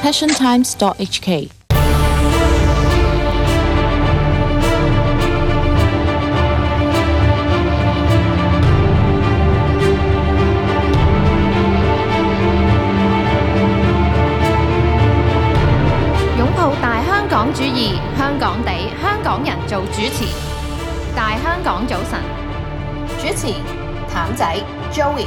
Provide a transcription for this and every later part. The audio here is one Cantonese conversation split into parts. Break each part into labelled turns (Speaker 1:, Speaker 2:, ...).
Speaker 1: passiontimes.hk。
Speaker 2: 擁抱大香港主義，香港地，香港人做主持。大香港早晨，主持譚仔 Joey。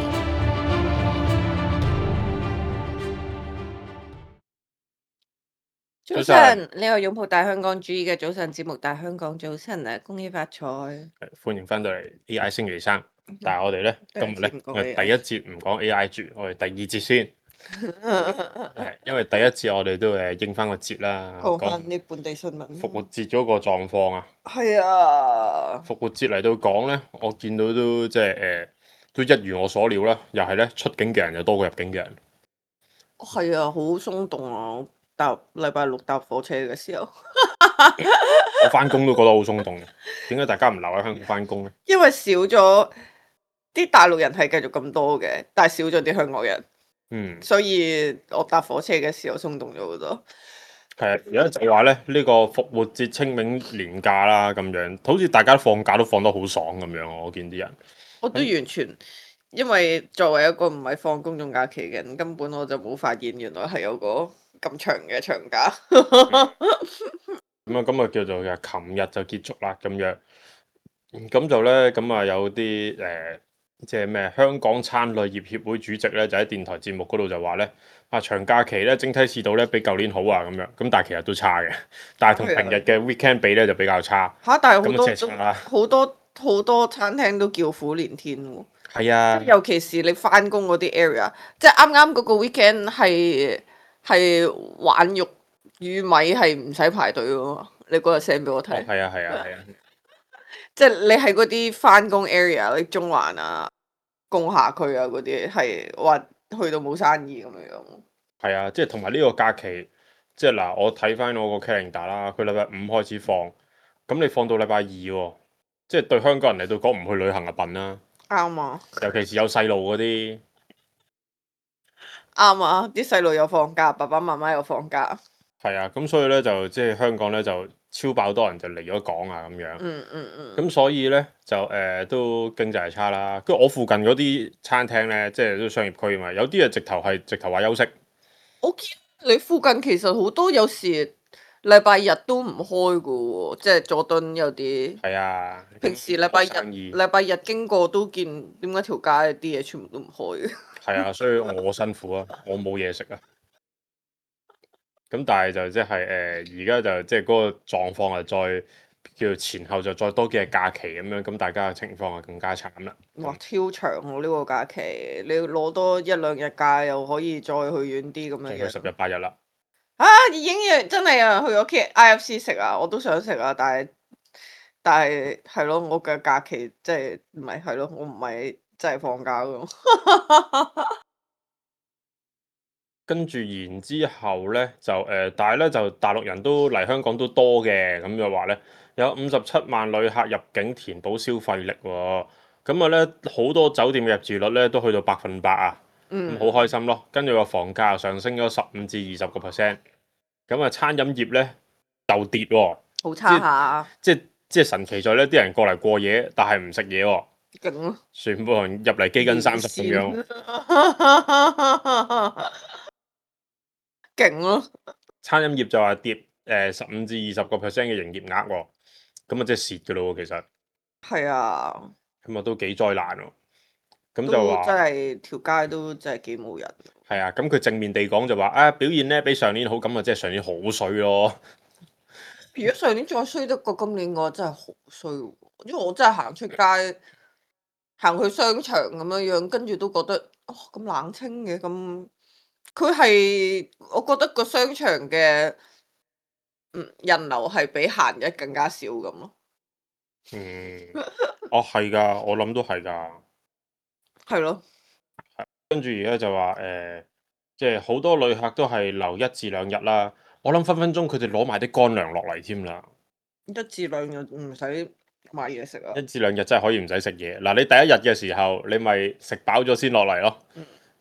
Speaker 3: 早晨，呢個擁抱大香港主義嘅早晨節目《大香港早晨》啊，恭喜發財！
Speaker 4: 歡迎翻到嚟 AI 星期三，但係我哋咧今日咧，我哋第一節唔講 AI 住，我哋第二節先。係因為第一節我哋都應翻個節啦，
Speaker 3: 講翻啲本地新聞。
Speaker 4: 復活節嗰個狀況啊，
Speaker 3: 係啊，
Speaker 4: 復活節嚟到講咧，我見到都即係都一如我所料啦，又係咧出境嘅人又多過入境嘅人。
Speaker 3: 係啊，好鬆動啊！搭禮拜六搭火車嘅時候，
Speaker 4: 我翻工都覺得好鬆動嘅。點解大家唔留喺香港翻工咧？
Speaker 3: 因為少咗啲大陸人係繼續咁多嘅，但係少咗啲香港人。所以我搭火車嘅時候鬆動咗好多。
Speaker 4: 係啊，而家就係話咧，呢個復活節、清明年假啦，咁樣好似大家放假都放得好爽咁樣。我見啲人，
Speaker 3: 我都完全，因為作為一個唔係放公眾假期嘅人，根本我就冇發現原來係有個咁長嘅長假。
Speaker 4: 咁啊叫做琴日就結束啦咁樣。咁就咧，咁啊有啲即係咩香港餐旅業協會主席咧，就喺電台節目嗰度就話咧，啊長假期咧整體市道咧比舊年好啊咁樣，咁但係其實都差嘅，但係同平日嘅 weekend 比咧就比較差。
Speaker 3: 但係好多餐廳都叫苦連天喎。
Speaker 4: 係啊，
Speaker 3: 尤其是你翻工嗰啲 area，即係啱啱嗰個 weekend 係玩肉魚米係唔使排隊嘅嘛？你嗰日 send 俾我睇。
Speaker 4: 係啊。
Speaker 3: 即係你喺嗰啲翻工 area，你中環啊、工廈區啊嗰啲，係話去到冇生意咁樣。
Speaker 4: 係啊，即係同埋呢個假期，即係嗱，我睇翻我個 calendar 啦，佢禮拜五開始放，咁你放到禮拜二喎，即係對香港人嚟到講唔去旅行就笨啦。
Speaker 3: 啱啊！
Speaker 4: 尤其是有細路嗰啲。
Speaker 3: 啱啊！啲細路又放假，爸爸媽媽又放假。
Speaker 4: 係啊，咁所以咧就即係香港咧就超爆多人就嚟咗港啊咁樣。咁所以咧就都經濟係差啦。跟住我附近嗰啲餐廳咧，即係都商業區啊嘛，有啲啊直頭話休息。
Speaker 3: 我見你附近其實好多有時禮拜日都唔開噶喎，即係佐敦有啲。
Speaker 4: 係啊。
Speaker 3: 平時禮拜日經過都見點解條街啲嘢全部都唔開嘅。
Speaker 4: 係啊，所以我辛苦啊，我冇嘢食啊。咁但係就即係而家就即係嗰個狀況啊，再叫前後就再多幾日假期咁樣，咁大家嘅情況啊更加慘啦。
Speaker 3: 哇！超長喎呢個假期，你攞多一兩日假又可以再去遠啲咁樣。
Speaker 4: 去10日8日啦。
Speaker 3: 已經真係啊，去咗 IFC 食啊，我都想食啊，但係係咯，我嘅假期即係唔係係咯，我唔係真係放假㗎。
Speaker 4: 跟住然之後咧就但係咧就大陸人都嚟香港都多嘅，咁就話咧有57萬旅客入境填補消費力喎，咁啊咧好多酒店嘅入住率咧都去到100%啊，咁好開心咯。跟住個房價又上升咗15%至20%，咁啊餐飲業咧就跌喎，
Speaker 3: 好差下。
Speaker 4: 即係神奇在咧啲人過嚟過夜，但係唔食嘢喎，
Speaker 3: 勁咯！
Speaker 4: 全部人入嚟基斤30咁樣。
Speaker 3: 勁咯！
Speaker 4: 餐飲業就話跌15%至20%嘅營業額喎，咁啊即係蝕嘅咯喎，其實。
Speaker 3: 係啊。
Speaker 4: 咁啊都幾災難喎。咁就話
Speaker 3: 真係條街都真係幾冇人。
Speaker 4: 係啊，咁佢正面地講就話表現咧比上年好，咁啊即係上年好衰咯。
Speaker 3: 如果上年再衰得過今年嘅話，真係好衰喎。因為我真係行出街，行去商場咁樣樣，跟住都覺得咁冷清嘅咁。佢係我覺得個商場嘅人流係比閒日更加少咁咯。
Speaker 4: 係㗎，我諗都係㗎。
Speaker 3: 係咯。
Speaker 4: 跟住而家就話即係好多旅客都係留1至2日啦。我諗分分鐘佢哋攞埋啲乾糧落嚟添啦。
Speaker 3: 1至2日唔使買嘢食啊
Speaker 4: ！1至2日真係可以唔使食嘢。嗱，你第一日嘅時候，你咪食飽咗先落嚟咯。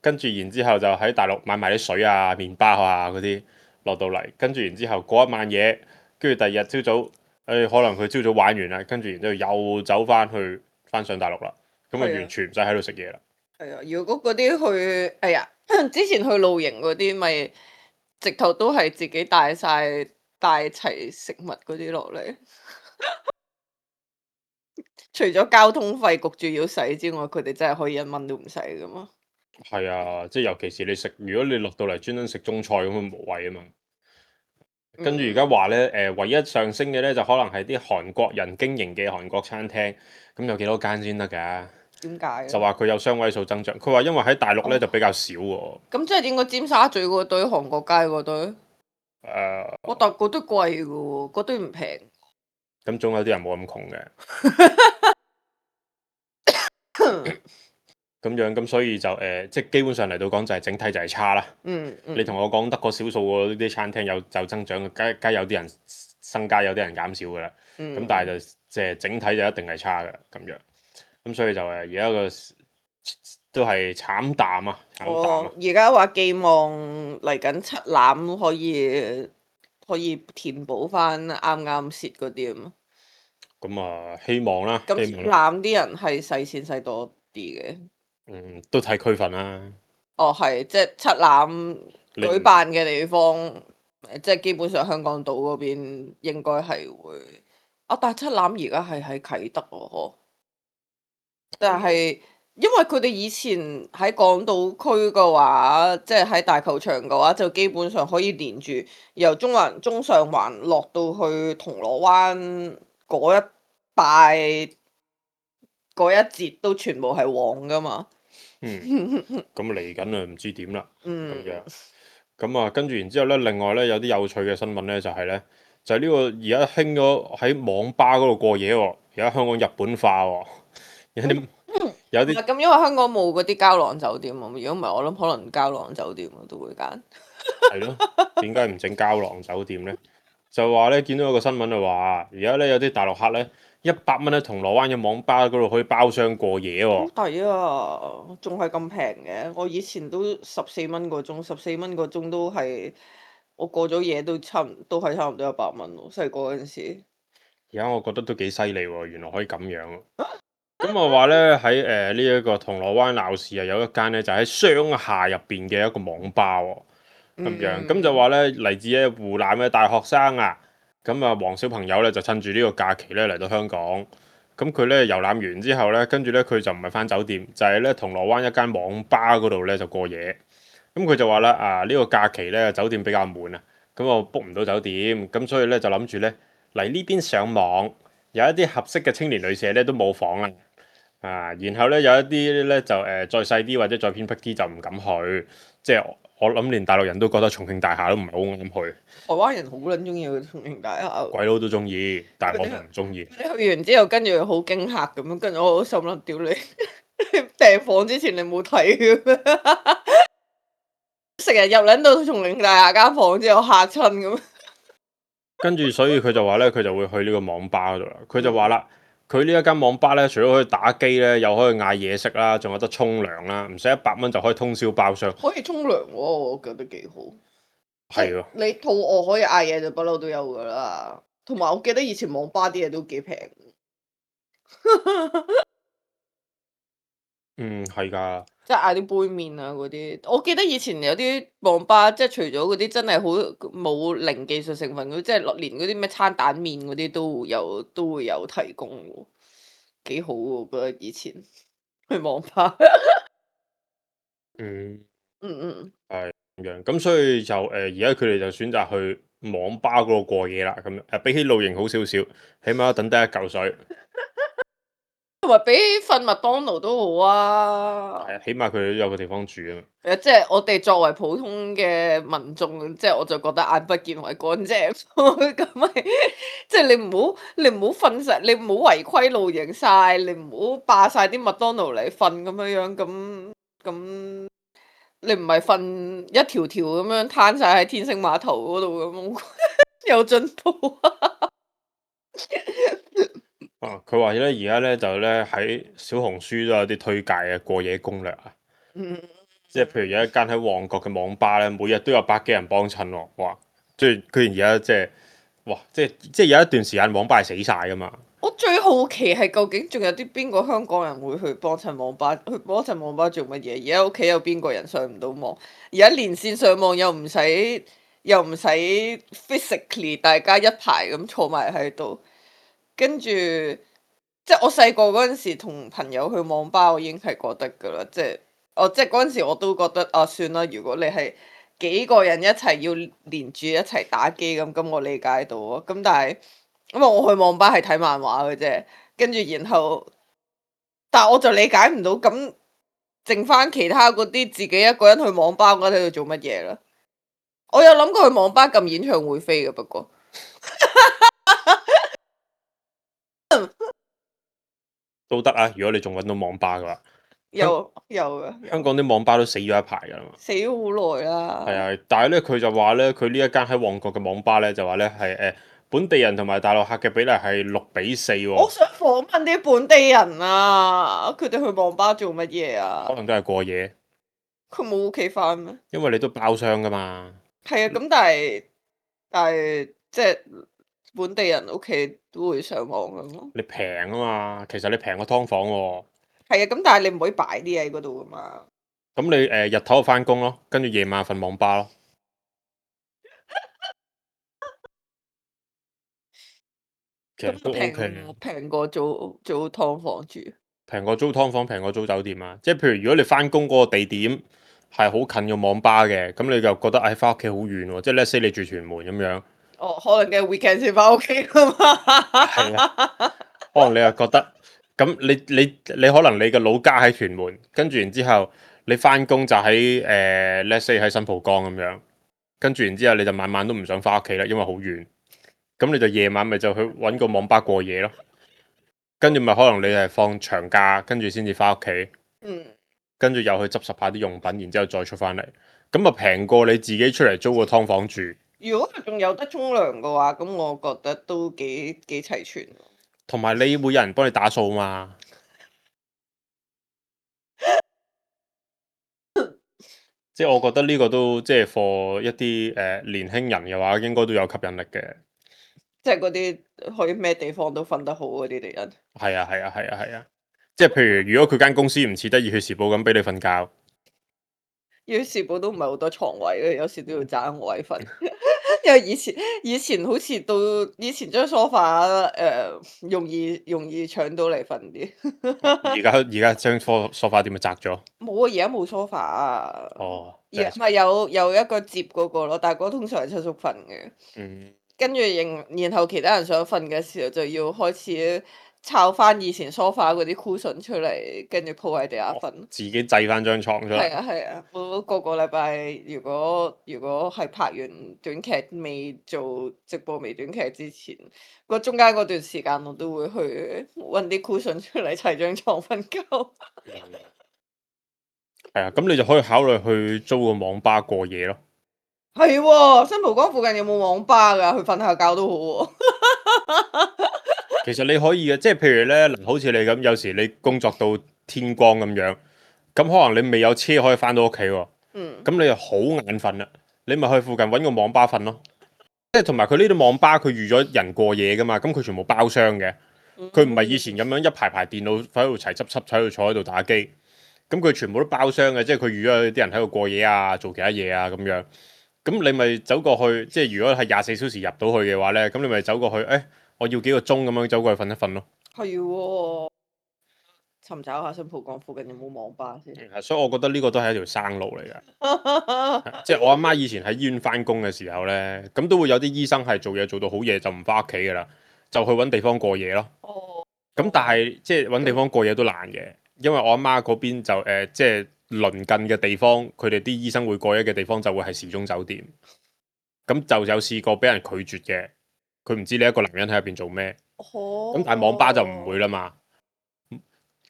Speaker 4: 跟住然之後就喺大陸買埋啲水啊、麵包啊嗰啲，落到嚟，跟住然之後過一晚夜，跟住第二日朝早，可能佢朝早玩完啦，跟住然之後又走翻上大陸啦，咁啊
Speaker 3: 係啊
Speaker 4: 完全唔使喺度食嘢啦。
Speaker 3: 係啊，如果嗰啲去，哎呀，之前去露營嗰啲，咪直頭都係自己帶齊食物嗰啲落嚟。除咗交通費焗住要使之外，佢哋真係可以1蚊都唔使噶嘛。
Speaker 4: 係啊，即係尤其是你食，如果你落到嚟專登食中菜咁，無謂啊嘛。跟住而家話咧，唯一上升嘅咧就可能係啲韓國人經營嘅韓國餐廳，咁有幾多間先得㗎？
Speaker 3: 點解？
Speaker 4: 就話佢有雙位數增長，佢話因為喺大陸咧
Speaker 3: 哦
Speaker 4: 就比較少喎。
Speaker 3: 咁即係應該尖沙咀嗰堆、韓國街嗰堆，
Speaker 4: 誒，
Speaker 3: 我但嗰堆貴嘅喎，嗰堆唔平。
Speaker 4: 咁總有啲人冇咁窮嘅。咁樣咁所以就即係基本上嚟到講就係整體就係差啦。
Speaker 3: 嗯
Speaker 4: 你同我講得個少數嗰啲餐廳有增長，梗有啲人增加，有啲人減少㗎啦。咁但係就即係整體就一定係差嘅咁樣。咁所以就而家個都係慘淡啊，慘淡啊。
Speaker 3: 而家話寄望嚟緊七欖可以填補翻啱啱蝕嗰啲啊嘛。
Speaker 4: 咁啊，希望啦，
Speaker 3: 咁
Speaker 4: 希望啦。
Speaker 3: 欖啲人係使錢使多啲嘅。
Speaker 4: 都睇區份啦。
Speaker 3: 哦，係，即係七欖舉辦嘅地方，即係基本上香港島嗰邊應該係會。但係七欖而家係喺啟德喎，嗬。但係因為佢哋以前喺港島區嘅話，即係喺大球場嘅話，就基本上可以連住由中上環落到去銅鑼灣嗰一帶嗰一節都全部係旺噶嘛。
Speaker 4: 咁嚟緊啊，唔知點啦。咁
Speaker 3: 嗯。
Speaker 4: 樣咁啊，跟住然之後咧，另外咧有啲有趣嘅新聞咧，就係咧，就係呢個而家興咗喺網吧嗰度過夜喎。而家香港日本化喎，有啲
Speaker 3: 咁，因為香港冇嗰啲膠囊酒店啊。如果唔係，我諗可能膠囊酒店我都會揀。
Speaker 4: 係咯，點解唔整膠囊酒店咧？就話咧見到有個新聞就話，而家咧有啲大陸客咧100蚊喺銅鑼灣嘅網吧嗰度可以包廂過夜喎。
Speaker 3: 好抵啊！仲係咁平嘅，我以前都14蚊個鐘，14蚊個鐘都係我過咗夜都都係差唔多100蚊咯。細個嗰陣時，
Speaker 4: 而家我覺得都幾犀利喎，原來可以咁樣喎。咁我話咧喺呢一個銅鑼灣鬧市啊，有一間咧就喺商廈入邊嘅一個網吧喎。咁樣咁就話咧嚟自咧湖南嘅大學生啊，咁啊黃小朋友咧就趁住呢個假期咧嚟到香港，咁佢咧遊覽完之後咧，跟住咧佢就唔係返酒店，就係咧銅鑼灣一間網吧嗰度咧就過夜。咁佢就話啦呢個假期咧酒店比較滿啊，咁我 book 唔到酒店，咁所以咧就諗住咧嚟呢邊上網，有一啲合適嘅青年旅社咧都冇房啦。然後咧有一啲咧就再細啲或者再偏僻啲就唔敢去，即係我諗連大陸人都覺得重慶大廈都唔係好啱去。
Speaker 3: 台灣人好撚中意去重慶大廈，
Speaker 4: 鬼佬都中意，但係我就唔中意。
Speaker 3: 你去完之後，跟住好驚嚇咁樣，跟住我心諗屌你，訂房之前你冇睇嘅咩？成日入撚到重慶大廈間房之後嚇親咁。
Speaker 4: 跟住所以佢就話咧，佢就會去呢個網吧嗰度啦。佢就話啦，佢呢一間網吧咧，除咗可以打機咧，又可以嗌嘢食啦，仲有得沖涼啦，唔使100蚊就可以通宵包廂。
Speaker 3: 可以沖涼喎，我覺得幾好。
Speaker 4: 係喎，
Speaker 3: 你肚餓可以嗌嘢就不嬲都有噶啦。同埋我記得以前網吧啲嘢都幾平。
Speaker 4: 係㗎。
Speaker 3: 即係嗌啲杯麵啊嗰啲，我記得以前有啲網吧，即係除咗嗰啲真係好冇零技術成分嗰啲，即係連嗰啲咩餐蛋麵嗰啲都會有提供喎，幾好喎！我覺得以前去網吧。
Speaker 4: 嗯，
Speaker 3: 嗯
Speaker 4: 咁樣。咁所以就而家佢哋就選擇去網吧嗰度過夜啦。咁樣比起露營好少少，起碼等得一嚿水。
Speaker 3: 同埋比瞓麥當勞都好啊。
Speaker 4: 係啊，起碼佢哋都有個地方住啊嘛。
Speaker 3: 即係我哋作為普通嘅民眾，即係我就覺得眼不見為乾淨，咁咪即係你唔好瞓晒，你唔好違規露營晒，你唔好霸晒啲麥當勞嚟瞓咁樣樣，咁你唔係瞓一條條咁樣攤晒喺天星碼頭嗰度咁，有進步啊！
Speaker 4: 佢話咧而家咧就咧喺小紅書都有啲推介嘅過夜攻略啊。即係譬如有一間喺旺角嘅網吧咧，每日都有100幾人幫襯喎。哇！即係佢而家即係哇，即係有一段時間網吧係死晒噶嘛。
Speaker 3: 我最好奇係究竟仲有啲邊個香港人會去幫襯網吧？去幫襯網吧做乜嘢？而家屋企有邊個人上唔到網？而家連線上網又唔使 physically 大家一排咁坐埋喺度，跟住即係我細個嗰陣時同朋友去網吧，我已經係覺得㗎啦，即係嗰陣時我都覺得啊，算啦，如果你係幾個人一齊要連住一齊打機咁我理解到啊。咁但係因為我去網吧係睇漫畫嘅啫，跟住然後，但係我就理解唔到咁剩翻其他嗰啲自己一個人去網吧嗰度做乜嘢啦？我有諗過去網吧撳演唱會飛嘅，不過
Speaker 4: 都得啊！如果你仲揾到網吧嘅話，
Speaker 3: 有嘅，
Speaker 4: 香港啲網吧都死咗一排㗎啦嘛。
Speaker 3: 死咗好耐啦。
Speaker 4: 係啊，但係咧佢就話咧，佢呢一間喺旺角嘅網吧咧，就話咧係本地人同埋大陸客嘅比例係6:4喎。
Speaker 3: 我想訪問啲本地人啊，佢哋去網吧做乜嘢啊
Speaker 4: 可？能都係過夜，
Speaker 3: 佢冇屋企翻咩？
Speaker 4: 因為你都包廂㗎嘛。
Speaker 3: 係啊，咁但係即係本地人屋企都會上網㗎嘛。
Speaker 4: 你平啊嘛，其實你平過劏房喎。
Speaker 3: 係啊，咁但係你唔可以擺啲嘢喺嗰度㗎嘛。
Speaker 4: 咁你日頭就翻工咯，跟住夜晚瞓網吧咯。其實都 OK 嘅，
Speaker 3: 平過租劏房住。
Speaker 4: 平過租劏房，平過租酒店啊。即係譬如如果你翻工嗰個地點係好近個網吧嘅，咁你就覺得翻屋企好遠喎。即係 let's say 你住屯門咁樣。
Speaker 3: 哦，可能嘅 weekend 先翻屋企㗎嘛。
Speaker 4: 係啊，可能你又覺得咁，你可能你個老家喺屯門，跟住然之後你翻工就喺let's say 喺新蒲崗咁樣，跟住然之後你就晚晚都唔想翻屋企啦，因為好遠。咁你就夜晚咪就去揾個網吧過夜咯，跟住咪可能你係放長假，跟住先至翻屋企，
Speaker 3: 嗯，
Speaker 4: 跟住又去執拾下啲用品，然之後再出翻嚟，咁啊平過你自己出嚟租個劏房住，
Speaker 3: 如果佢仲有得沖涼嘅話，咁我覺得都幾齊全。
Speaker 4: 同埋你會有人幫你打掃嘛。即係我覺得呢個都即係 for 一啲年輕人嘅話，應該都有吸引力嘅。
Speaker 3: 即係嗰啲去咩地方都瞓得好嗰啲人。
Speaker 4: 係啊係啊係啊係啊！即係譬如如果佢間公司唔似得熱血時報咁俾你瞓覺，
Speaker 3: 熱血時報都唔係好多床位嘅，有時都要爭位瞓。因為以前好似到以前張梳化容易搶到嚟瞓啲。
Speaker 4: 而家張梳化點咪窄咗？
Speaker 3: 冇啊，而家冇梳化啊。
Speaker 4: 哦，
Speaker 3: 而唔係有一個摺嗰個咯，但係嗰個通常係七叔瞓嘅。
Speaker 4: 嗯，
Speaker 3: 跟住然後其他人想瞓嘅時候就要開始抄翻以前梳化嗰啲 cushion 出嚟，跟住鋪喺地下瞓。
Speaker 4: 自己製翻張床出
Speaker 3: 係
Speaker 4: 嚟。
Speaker 3: 啊係啊，我個個禮拜如果係拍完短劇未做直播微短劇之前，中間嗰段時間我都會去揾啲 cushion 出嚟砌張床瞓覺。
Speaker 4: 係啊，咁你就可以考慮去租個網吧過夜咯。
Speaker 3: 係喎，新蒲崗附近有冇網吧㗎？去瞓下覺都好喎。
Speaker 4: 其實你可以嘅，即係譬如咧，嗱，好似你咁，有時你工作到天光咁樣，咁可能你未有車可以翻到屋企喎，
Speaker 3: 嗯，
Speaker 4: 咁你就好眼瞓啦，你咪去附近揾個網吧瞓咯。即係同埋佢呢啲網吧，佢預咗人過夜噶嘛，咁佢全部包廂嘅，佢唔係以前咁樣一排排電腦喺度齊執喺度坐喺度打機，咁佢全部都包廂嘅，即係佢預咗啲人喺度過夜啊，做其他嘢啊咁樣。咁你咪走過去，即係如果係24小時入到去嘅話咧，咁你咪走過去，我要幾個鐘咁樣走過去瞓一瞓咯。
Speaker 3: 係喎，尋找下新蒲崗附近有冇網吧先。
Speaker 4: 所以我覺得呢個都係一條生路嚟嘅。即係我阿媽以前喺醫院翻工嘅時候咧，咁都會有啲醫生係做嘢做到好夜就唔翻屋企噶啦，就去揾地方過夜咯。
Speaker 3: 哦。
Speaker 4: 咁但係即係揾地方過夜都難嘅，因為我阿媽嗰邊就即係鄰近嘅地方，佢哋啲醫生會過夜嘅地方就會係時鐘酒店。咁就有試過俾人拒絕嘅，佢唔知你一個男人喺入邊做咩。咁但係網吧就唔會啦嘛。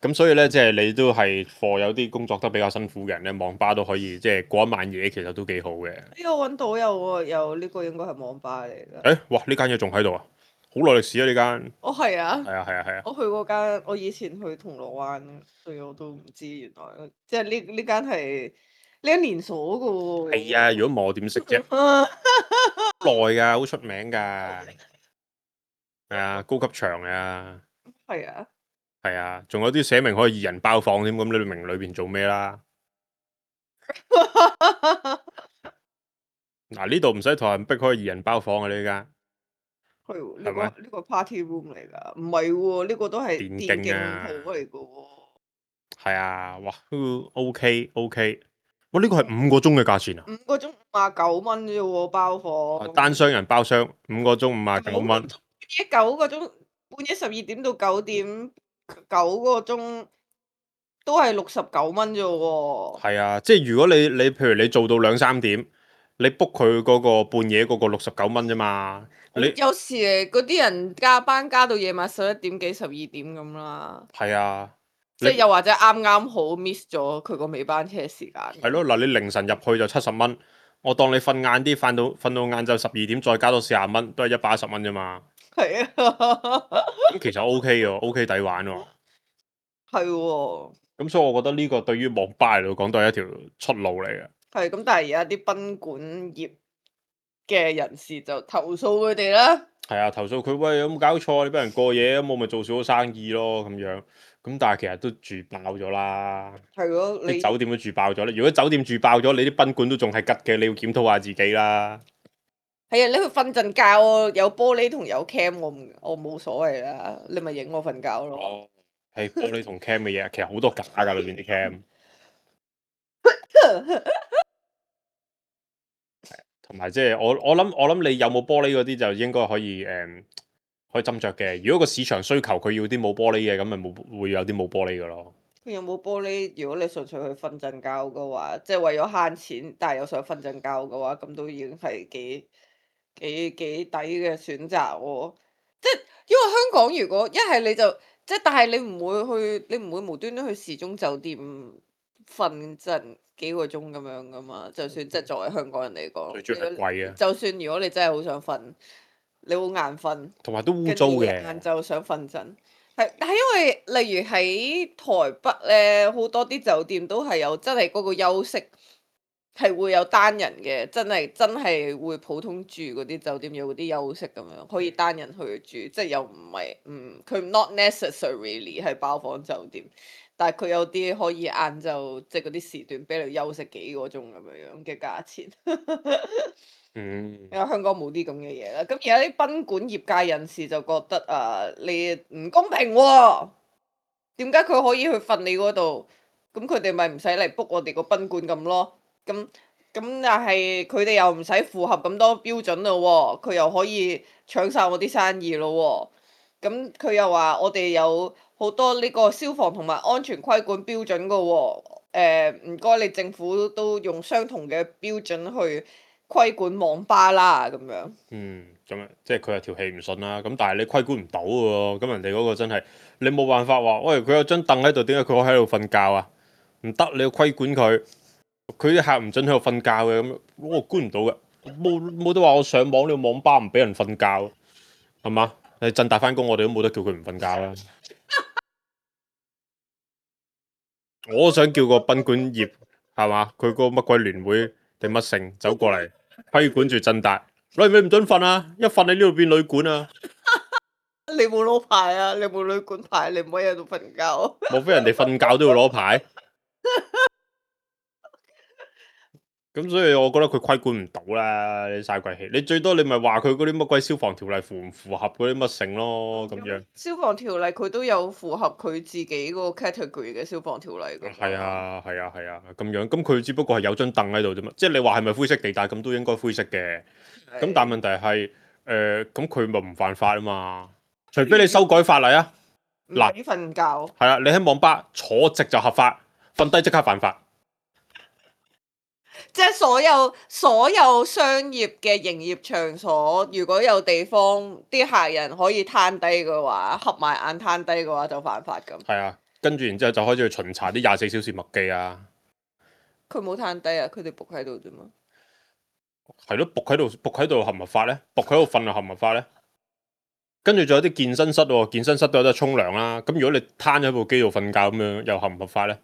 Speaker 4: 咁所以咧，即係你都係貨有啲工作得比較辛苦嘅人咧，網吧都可以即係過一晚夜，其實都幾好嘅。
Speaker 3: 呢個揾到有呢個應該係網吧嚟㗎。
Speaker 4: 哇！呢間嘢仲喺度啊，好耐歷史啊呢間。
Speaker 3: 哦，係啊。
Speaker 4: 係啊係啊係啊。
Speaker 3: 我去嗰間，我以前去銅鑼灣，所以我都唔知原來即係呢間係你有連鎖噶喎。
Speaker 4: 係啊，如果冇我點識啫？耐㗎，好出名㗎。係啊，高級場啊。
Speaker 3: 係啊。
Speaker 4: 係啊，仲有啲寫明可以2人包房添，咁你明裏邊做咩啦？嗱，呢度唔使同人逼可以2人包房嘅呢間，
Speaker 3: 係喎，
Speaker 4: 係咪？
Speaker 3: 呢個 party room 嚟㗎，唔係喎，呢個都係
Speaker 4: 電
Speaker 3: 電競
Speaker 4: 競啊，
Speaker 3: 鋪嚟㗎喎。
Speaker 4: 係啊，哇，都 OK，哇，呢個係5個鐘嘅價錢啊！
Speaker 3: 5個鐘59蚊啫喎，包房。
Speaker 4: 單雙人包廂5個鐘59蚊，
Speaker 3: 九個鐘，半夜12點到9點，9個鐘都係69蚊啫喎。
Speaker 4: 係啊，即係如果你譬如你做到2、3點，你 book 佢嗰個半夜嗰個69蚊啫嘛，你
Speaker 3: 有時嗰啲人加班加到夜晚11點幾12點咁啦。
Speaker 4: 係啊，
Speaker 3: 即係又或者啱啱好 miss 咗佢個尾班車時間。
Speaker 4: 係咯，嗱，你凌晨入去就70蚊，我當你瞓晏啲，瞓到晏晝12點，再加多40蚊，都係110蚊啫嘛。
Speaker 3: 係啊。
Speaker 4: 咁其實 OK 嘅，OK 抵玩喎。
Speaker 3: 係喎。
Speaker 4: 咁所以我覺得呢個對於網吧嚟講都係一條出路嚟嘅。
Speaker 3: 係咁，但係而家啲賓館業嘅人士就投訴佢哋啦。
Speaker 4: 係啊，投訴佢，喂，有冇搞錯？你俾人過夜，咁我咪做少咗生意咯咁樣。咁但係其實都住爆咗啦。
Speaker 3: 係咯，
Speaker 4: 啲酒店都住爆咗啦。如果酒店住爆咗，你啲賓館都仲係吉嘅，你要檢討下自己啦。
Speaker 3: 係啊，你去瞓陣覺喎，有玻璃同有 cam，我冇所謂啦，你咪影我瞓覺咯。
Speaker 4: 哦，係玻璃同 cam 嘅嘢，其實好多假㗎裏邊啲 cam。同埋即係我諗你有冇玻璃嗰啲就應該可以可以斟酌嘅。如果個市場需求佢要啲冇玻璃嘅，咁咪會有啲冇玻璃嘅咯。
Speaker 3: 佢有冇玻璃？如果你純粹去瞓陣覺嘅話，即係為咗慳錢，但係又想瞓陣覺嘅話，咁都已經係幾抵嘅選擇喎。即係因為香港如果一係你就即係，但係你唔會無端端去時鐘酒店瞓陣幾個鐘咁樣噶嘛？就算即係作為香港人嚟講，
Speaker 4: 最主要係貴啊，
Speaker 3: 就算如果你真係好想瞓，你好眼瞓，
Speaker 4: 同埋都污
Speaker 3: 跟
Speaker 4: 糟嘅。
Speaker 3: 住晏晝想瞓陣。係，但係因為例如喺台北咧，好多啲酒店都係有真係嗰個休息係會有單人嘅，真係會普通住嗰啲酒店有嗰啲休息咁樣，可以單人去住，即係又唔係佢 not necessarily 係包房酒店，但係佢有啲可以晏晝即係嗰啲時段俾你休息幾個鐘咁樣嘅價錢。
Speaker 4: 嗯，
Speaker 3: 因為香港冇啲咁嘅嘢啦，咁而家啲賓館業界人士就覺得你唔公平喎，點解佢可以去瞓你嗰度，咁佢哋咪唔使嚟 book 我哋個賓館咁咯？咁但係佢哋又唔使符合咁多標準咯喎，佢又可以搶晒我啲生意咯喎，咁佢又話我哋有好多呢個消防同埋安全規管標準噶喎，唔該你政府都用相同嘅標準去規管網吧啦，咁樣。
Speaker 4: 咁啊，即係佢係條氣唔順啦。咁但係你規管唔到喎，咁人哋嗰個真係你冇辦法話，喂，佢有張凳喺度，點解佢可以喺度瞓覺啊？唔得，你要規管佢，佢啲客唔準喺度瞓覺嘅，咁我管唔到嘅，冇得話我上網呢個網吧唔俾人瞓覺，係嘛？你振大翻工，我哋都冇得叫佢唔瞓覺啦。我想叫個賓館業係嘛，佢個乜鬼聯會定乜成走過嚟規管住振達，你唔准瞓啊！一瞓你呢度變旅館啊！
Speaker 3: 你冇攞牌啊！你冇旅館牌，你唔可以喺度瞓覺。
Speaker 4: 莫非人哋瞓覺都要攞牌？咁所以我覺得佢規管唔到啦，你嘥鬼氣。你最多你咪話佢嗰啲乜鬼消防條例符唔符合嗰啲乜成咯，咁樣。
Speaker 3: 消防條例佢都有符合佢自己嗰個 category 嘅消防條例㗎。
Speaker 4: 係啊，咁樣。咁佢只不過係有張凳喺度啫嘛，即係你話係咪灰色地帶咁都應該灰色嘅。咁但係問題係咁佢咪唔犯法啊嘛？除非你修改法例啊。
Speaker 3: 嗱，唔瞓覺。
Speaker 4: 係啊，你喺網吧坐直就合法，瞓低即刻犯法。
Speaker 3: 即係所有商業嘅營業場所，如果有地方啲客人可以攤低嘅話，合埋眼攤低嘅話就犯法咁。
Speaker 4: 係啊，跟住然之後就開始去巡查啲24小時麥記啊。
Speaker 3: 佢冇攤低啊，佢哋仆喺度啫嘛。
Speaker 4: 係咯，仆喺度合唔合法咧？仆喺度瞓又合唔合法咧？跟住仲有啲健身室喎，健身室都有得沖涼啦。咁如果你攤喺部機度瞓覺咁樣，又合唔合法咧？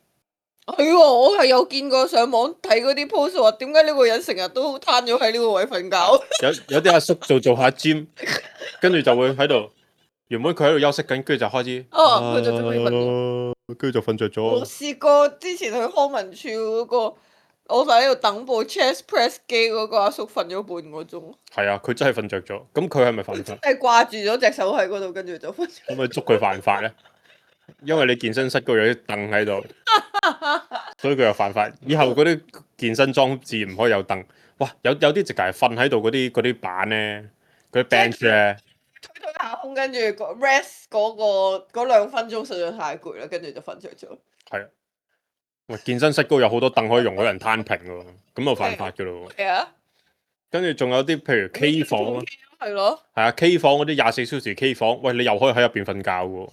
Speaker 3: 係喎，我係有見過上網睇嗰啲 post 話，點解呢個人成日都攤咗喺呢個位瞓覺？
Speaker 4: 有啲阿叔做下 gym，跟住就會喺度，原本佢喺度休息緊，跟住就開始，
Speaker 3: 佢就準備瞓咗。
Speaker 4: 跟住就瞓着
Speaker 3: 我
Speaker 4: 咗。
Speaker 3: 試過之前去康文署嗰個，我就喺度等部 chest press 機嗰個阿叔瞓咗半個鐘，
Speaker 4: 係啊，佢真係瞓着咗。咁佢係咪犯法？
Speaker 3: 係掛住咗隻手喺嗰度，跟住就瞓咗。
Speaker 4: 可唔可以捉佢犯法咧？因為你健身室嗰度有啲凳喺度，所以佢又犯法。以後嗰啲健身裝置唔可以有凳。哇，有啲直頭係瞓喺度嗰啲板咧，嗰啲 bench 咧，
Speaker 3: 推下空，跟住個 rest 嗰2分鐘實在太攰啦，跟住就瞓着咗。
Speaker 4: 係啊。喂，健身室嗰度有好多凳可以容許人攤平喎，咁就犯法噶咯喎。
Speaker 3: 係啊，
Speaker 4: 跟住仲有啲譬如 K 房啊，
Speaker 3: 係咯。
Speaker 4: 係啊 K 房嗰啲24小時 K 房，喂你又可以喺入邊瞓覺喎。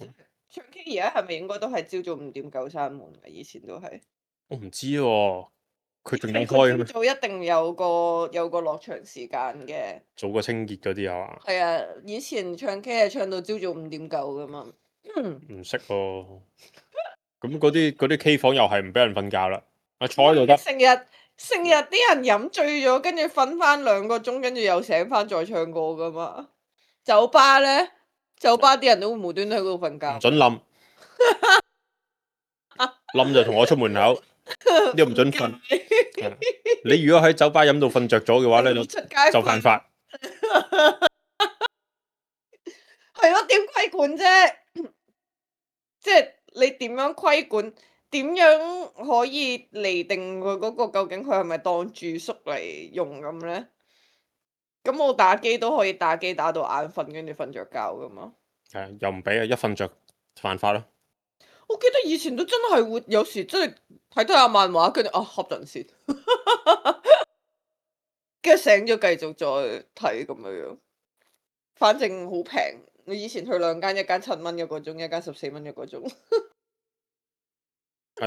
Speaker 3: 唱 K 而家係咪應該都係朝早5點9閂門嘅？以前都係。
Speaker 4: 我唔知喎，佢仲有開咩？
Speaker 3: 朝早一定有個落場時間嘅。
Speaker 4: 做個清潔嗰啲係嘛？
Speaker 3: 係啊，以前唱 K 係唱到朝早5點9噶嘛。
Speaker 4: 唔識喎。咁嗰啲 K 房又係唔俾人瞓覺啦，啊坐喺度得。
Speaker 3: 成日啲人飲醉咗，跟住瞓翻2個鐘，跟住又醒翻再唱歌噶嘛。酒吧咧，酒吧啲人都會無端端喺嗰度瞓覺。
Speaker 4: 唔准冧，冧就同我出門口，呢個唔准瞓。係你如果喺酒吧飲到瞓着咗嘅話咧，
Speaker 3: 出街
Speaker 4: 就犯法。
Speaker 3: 係咯，點規管啫？即係你點樣規管？點樣可以釐定佢嗰個究竟佢係咪當住宿嚟用咁咧？咁我打機都可以打機打到眼瞓，跟住瞓着覺噶嘛。
Speaker 4: 係啊，又唔俾啊，一瞓着犯法咯。
Speaker 3: 我記得以前都真係會有時真係睇下漫畫，跟住瞌陣先，跟住醒咗繼續再睇咁樣。反正好平，你以前去2間，一間7蚊一個鐘，一間14蚊一個鐘。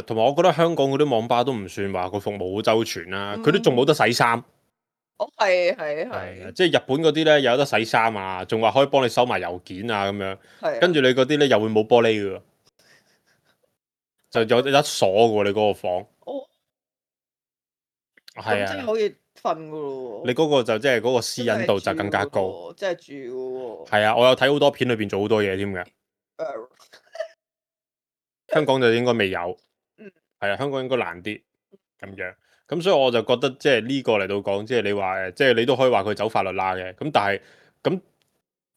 Speaker 4: 同埋我覺得香港嗰啲網吧都唔算話個服務好周全啦，佢都仲冇得洗衫。
Speaker 3: 係，
Speaker 4: 即係日本嗰啲咧有得洗衫啊，仲話可以幫你收埋郵件啊咁樣。
Speaker 3: 係啊。
Speaker 4: 跟住你嗰啲咧又會冇玻璃嘅喎，就有得鎖嘅喎，你嗰個房。
Speaker 3: 哦。
Speaker 4: 係啊，
Speaker 3: 咁真係可以瞓噶咯喎。
Speaker 4: 你嗰個就即係嗰個私隱度就更加高。
Speaker 3: 真係住嘅喎。
Speaker 4: 係啊，我有睇好多片裏邊做好多嘢添嘅。香港就應該未有。係啊，香港應該難啲咁樣。咁所以我就覺得即係呢個嚟到講，即係你話即係你都可以話佢走法律罅嘅。咁但係咁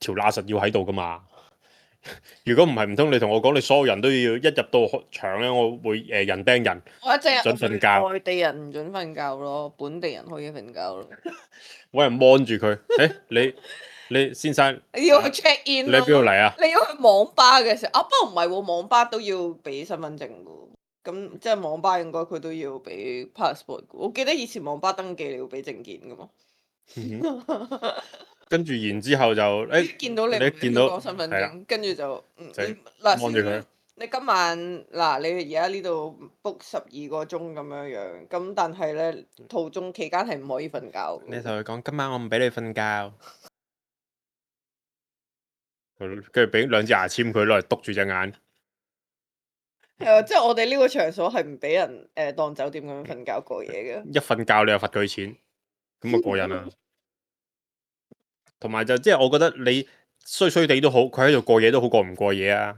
Speaker 4: 條罅實要喺度噶嘛。如果唔係，唔通你同我講你所有人都要一入到場咧，我會人釘人，
Speaker 3: 我淨係
Speaker 4: 準瞓覺。
Speaker 3: 外地人唔準瞓覺咯，本地人可以瞓覺咯。
Speaker 4: 揾人 mon 住佢。你先生，
Speaker 3: 你要去 check in
Speaker 4: 你喺邊度嚟啊？
Speaker 3: 你要去網吧嘅時候，不過唔係喎，網吧都要俾身份證嘅喎。咁即係網吧應該佢都要俾 passport 嘅。我記得以前網吧登記你要俾證件嘅嘛。
Speaker 4: 跟住然之後就
Speaker 3: 見到你
Speaker 4: 見到
Speaker 3: 個身份
Speaker 4: 係啦
Speaker 3: 證，跟住就
Speaker 4: 望住佢。
Speaker 3: 你今晚嗱，你而家呢度 book 12個鐘咁樣樣，咁但係咧途中期間係唔可以瞓覺嘅。
Speaker 4: 你同佢講今晚我唔俾你瞓覺，跟住俾2支牙籤佢攞嚟篤住隻眼。
Speaker 3: 係啊，即係我哋呢個場所係唔俾人當酒店咁樣瞓覺過夜嘅。
Speaker 4: 一瞓覺你又罰佢錢，咁啊過癮啊！同埋就即係我覺得你衰衰地都好，佢喺度過夜都好過唔過夜啊！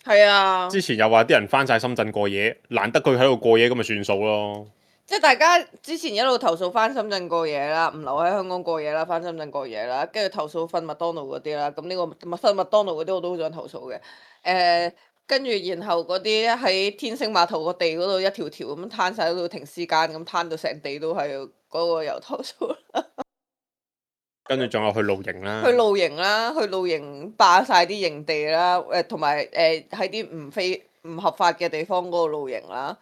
Speaker 3: 係啊，
Speaker 4: 之前又話啲人翻晒深圳過夜，難得佢喺度過夜咁咪算數咯。
Speaker 3: 即係大家之前一路投訴翻深圳過夜啦，唔留喺香港過夜啦，翻深圳過夜啦，跟住投訴瞓麥當勞嗰啲啦，咁呢個瞓麥當勞嗰啲我都好想投訴嘅。跟住然後嗰啲喺天星碼頭個地嗰度一條條咁攤晒喺度停屍間，咁攤到成地都係嗰個又投訴啦。
Speaker 4: 跟住仲有去露營啦，
Speaker 3: 去露營啦，去露營霸晒啲營地啦，同埋喺啲唔合法嘅地方嗰度露營啦。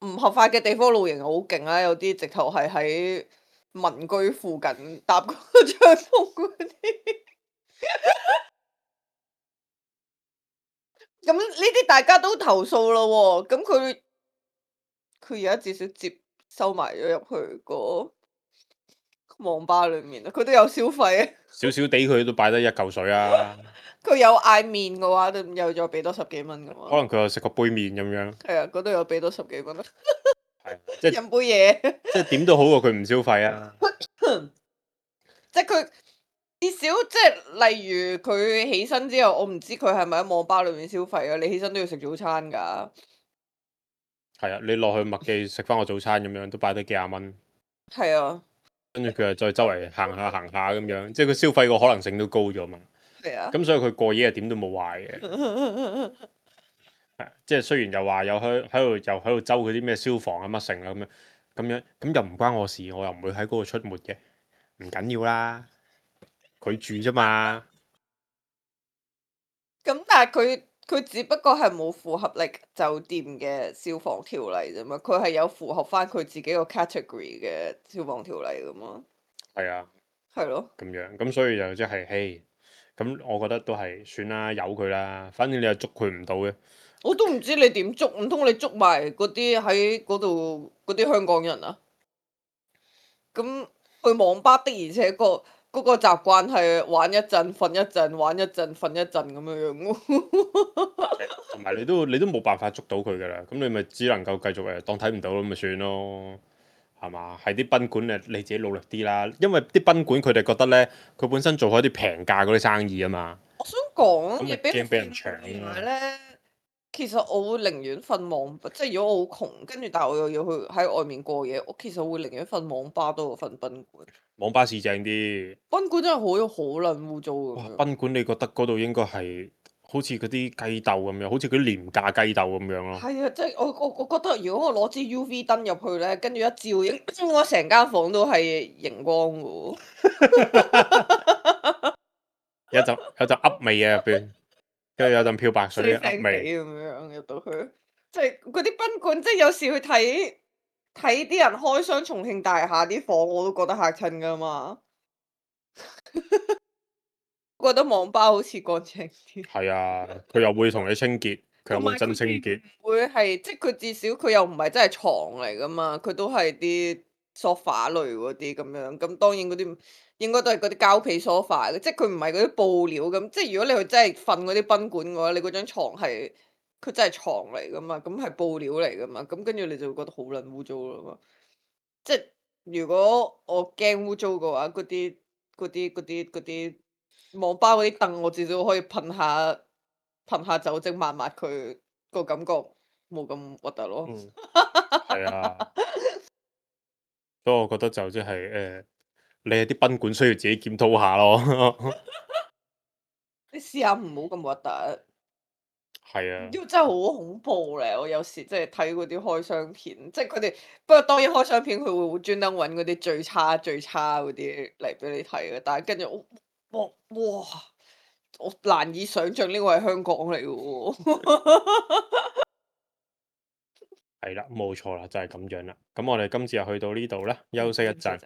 Speaker 3: 唔合法嘅地方露營好勁啦，有啲直頭係喺民居附近搭個帳篷嗰啲。咁呢啲大家都投訴咯喎，咁佢而家至少收埋咗入去個網吧裏面啦，佢都有消費啊。
Speaker 4: 少少地佢都擺得一嚿水啊！
Speaker 3: 佢有嗌麵嘅話，都又再俾多10幾蚊嘅嘛。
Speaker 4: 可能佢又食個杯麵咁樣，
Speaker 3: 係啊，嗰度又俾多10幾蚊，
Speaker 4: 係即係
Speaker 3: 飲杯嘢。
Speaker 4: 即係點都好過佢唔消費啊！
Speaker 3: 即係佢至少即係例如佢起身之後，我唔知佢係咪喺網吧裏面消費啊？你起身都要食早餐㗎。
Speaker 4: 係啊，你落去麥記食翻個早餐咁樣，都擺得幾廿蚊，
Speaker 3: 係啊，
Speaker 4: 跟住佢又再周圍行下行下咁樣，即係佢消費個可能性都高咗嘛。
Speaker 3: 係啊。
Speaker 4: 咁所以佢過夜係點都冇壞嘅。係即係雖然又話有喺度周嗰啲咩消防啊乜成啊咁又唔關我事，我又唔會喺嗰度出沒嘅，唔緊要啦，佢住啫嘛。
Speaker 3: 咁但係佢只不過係冇符合酒店嘅消防條例啫嘛，佢係有符合翻佢自己個 category 嘅消防條例噶嘛。
Speaker 4: 係啊，
Speaker 3: 係咯。
Speaker 4: 咁樣咁所以就即係，嘿，咁我覺得都係算啦，由佢啦，反正你又捉佢唔到嘅。
Speaker 3: 我都唔知你點捉，唔通你捉埋嗰啲喺嗰度嗰啲香港人啊？咁去網吧的而且確嗰個習慣係玩一陣瞓一陣，玩一陣瞓一陣咁樣樣喎。
Speaker 4: 同埋你都冇辦法捉到佢㗎啦，咁你咪只能夠繼續當睇唔到咁咪算咯，係嘛？係啲賓館你自己努力啲啦，因為啲賓館佢哋覺得咧，佢本身做開啲平價嗰啲生意啊嘛。
Speaker 3: 我想講
Speaker 4: 咁咪
Speaker 3: 嘢俾
Speaker 4: 驚俾人
Speaker 3: 搶
Speaker 4: 搶啊
Speaker 3: 咧，其實我會寧願瞓網吧，即係如果我好窮，跟住但係我又要去喺外面過夜，我其實會寧願瞓網吧多過瞓賓館。
Speaker 4: 網吧市正啲。
Speaker 3: 賓館真係好撚污糟
Speaker 4: 哇！
Speaker 3: 咁樣。
Speaker 4: 賓館你覺得嗰度應該係好似嗰啲雞竇咁樣，好似嗰啲廉價雞竇咁樣咯。
Speaker 3: 係啊，即係我覺得如果我攞支 UV 燈入去咧，跟住一照影，我成間房都係熒光嘅喎。
Speaker 4: 有陣噏味啊入邊，跟住有陣漂白水嘅噏
Speaker 3: 聲
Speaker 4: 味。
Speaker 3: 地咁樣入到去，即係嗰啲賓館，即係有時去睇啲人開箱重慶大廈啲房，我都覺得嚇親噶嘛。我覺得網吧好似乾淨啲，
Speaker 4: 係啊，佢又會同你清潔，佢又會真清潔。
Speaker 3: 會係即係佢至少佢又唔係真係床嚟噶嘛，佢都係啲 sofa 類嗰啲咁樣。咁當然嗰啲應該都係嗰啲膠皮 sofa 嘅，即係佢唔係嗰啲布料咁。即係如果你去真係瞓嗰啲賓館嘅話，你嗰張牀係佢真係床嚟噶嘛，咁係布料嚟噶嘛，咁跟住你就會覺得好撚污糟啦嘛。即係如果我驚污糟嘅話，嗰啲網吧嗰啲凳，我至少可以噴下酒精抹抹佢，個感覺冇咁核突咯。
Speaker 4: 嗯，係啊，所以我覺得就即係你係啲賓館需要自己檢討下咯。
Speaker 3: 你試下唔好咁核突，
Speaker 4: 係啊，
Speaker 3: 因為真係好恐怖咧！我有時即係睇嗰啲開箱片，即係佢哋不過當然開箱片佢會專登揾嗰啲最差最差嗰啲嚟俾你睇嘅，但係跟住哇！我難以想像呢個係香港嚟嘅喎。
Speaker 4: 係啦，冇錯啦，就係咁樣啦。咁我哋今次就去到呢度啦，休息一陣。